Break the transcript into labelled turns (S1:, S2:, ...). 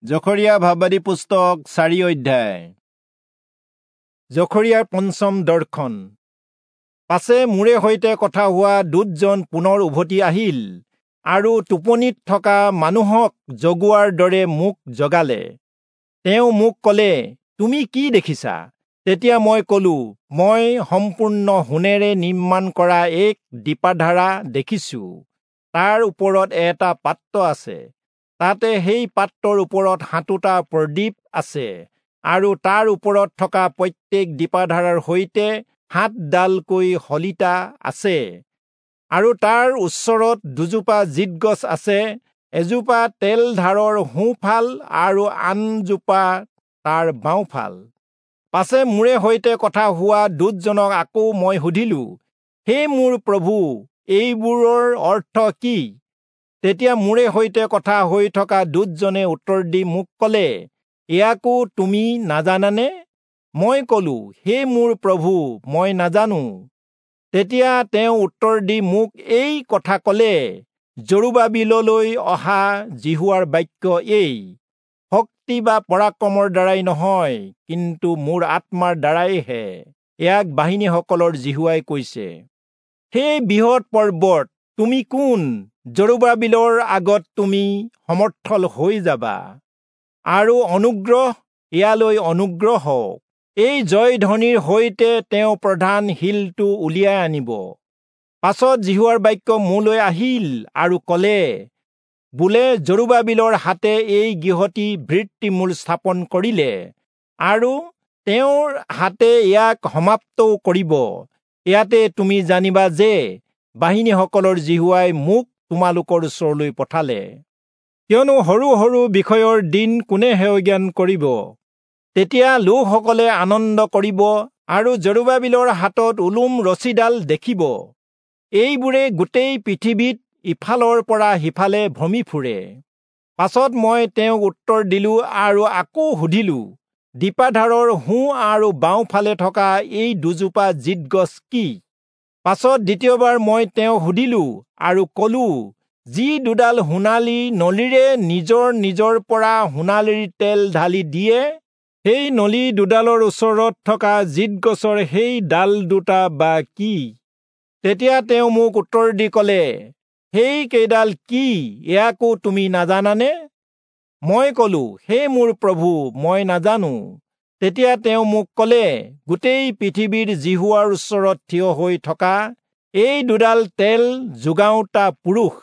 S1: জখৰিয়া ভাববাদী পুস্তক 4 অধ্যায়। জখৰিয়াৰ পঞ্চম দৰ্শন। পাছে মোৰে সৈতে কথা হোৱা দূতজন পুনৰ উভতি আহিল আৰু টোপনিত থকা মানুহক জগোৱাৰ দৰে মোক জগালে। তেওঁ মোক ক'লে, তুমি কি দেখিছা? তেতিয়া মই ক'লো, মই সম্পূৰ্ণ সোণেৰে নিৰ্মাণ কৰা এক দীপাধাৰা দেখিছো। তাৰ ওপৰত এটা পাত্ৰ আছে, তাতে সেই পাত্ৰৰ ওপৰত 7টা প্ৰদীপ আছে আৰু তাৰ ওপৰত থকা প্ৰত্যেক দীপাধাৰাৰ সৈতে 7ডালকৈ শলিতা আছে। আৰু তাৰ ওচৰত 2জোপা জিতগছ আছে, এজোপা তেলধাৰৰ সোঁফাল আৰু আনজোপা তাৰ বাওঁফাল। পাছে মোৰে সৈতে কথা হোৱা দূতজনক আকৌ মই সুধিলো, হে মোৰ প্ৰভু, এইবোৰৰ অৰ্থ কি? তেতিয়া মোৰে সৈতে কথা হৈ থকা দূতজনে উত্তৰ দি মোক ক'লে, ইয়াকো তুমি নাজানানে? মই ক'লো, হে মোৰ প্ৰভু, মই নাজানো। তেতিয়া তেওঁ উত্তৰ দি মোক এই কথা ক'লে, জৰুবাবিললৈ অহা যিহোৱাৰ বাক্য এই, শক্তি বা পৰাক্ৰমৰ দ্বাৰাই নহয়, কিন্তু মোৰ আত্মাৰ দ্বাৰাইহে, ইয়াক বাহিনীসকলৰ যিহোৱাই কৈছে। সেই বৃহৎ পৰ্বত, তুমি কোন? জৰুবাবিলৰ আগত তুমি সমৰ্থল হৈ যাবা। আৰু অনুগ্ৰহ ইয়ালৈ অনুগ্ৰহ হওক। এই জয়ধ্বনিৰ সৈতে তেওঁ প্ৰধান শিলটো উলিয়াই আনিব। পাছত যিহোৱাৰ বাক্য মোলৈ আহিল আৰু ক'লে, বোলে জৰুবাবিলৰ হাতে এই গৃহটি ভিত্তিমূল স্থাপন কৰিলে আৰু তেওঁৰ হাতে ইয়াক সমাপ্তও কৰিব। ইয়াতে তুমি জানিবা যে বাহিনীসকলৰ যিহোৱাই মোক তোমালোকৰ ওচৰলৈ পঠালে। কিয়নো সৰু সৰু বিষয়ৰ দিন কোনে হেয়জ্ঞান কৰিব? তেতিয়া লোকসকলে আনন্দ কৰিব আৰু জৰুবাবিলৰ হাতত ওলোম ৰছীডাল দেখিব। এইবোৰে গোটেই পৃথিৱীত ইফালৰ পৰা সিফালে ভ্ৰমি ফুৰে। পাছত মই তেওঁক উত্তৰ দিলো আৰু আকৌ সুধিলো, দীপাধাৰৰ সোঁ আৰু বাওঁফালে থকা এই 2জোপা জিতগছ কি? পাছত দ্বিতীয়বাৰ মই তেওঁক সুধিলো আৰু ক'লো, যি 2ডাল সোণালী নলীৰে নিজৰ নিজৰ পৰা সোণালীৰ তেল ঢালি দিয়ে, সেই নলী 2ডালৰ ওচৰত থকা জিতগছৰ সেই ডাল 2টা বা কি? তেতিয়া তেওঁ মোক উত্তৰ দি ক'লে, সেই কেইডাল কি, ইয়াকো তুমি নাজানানে? মই ক'লো, হে মোৰ প্ৰভু, মই নাজানো। তেতিয়া তেওঁ মোক ক'লে, গোটেই পৃথিৱীৰ যিহোৱাৰ ওচৰত থিয় হৈ থকা এই 2ডাল তেল যোগাওঁতা পুৰুষ।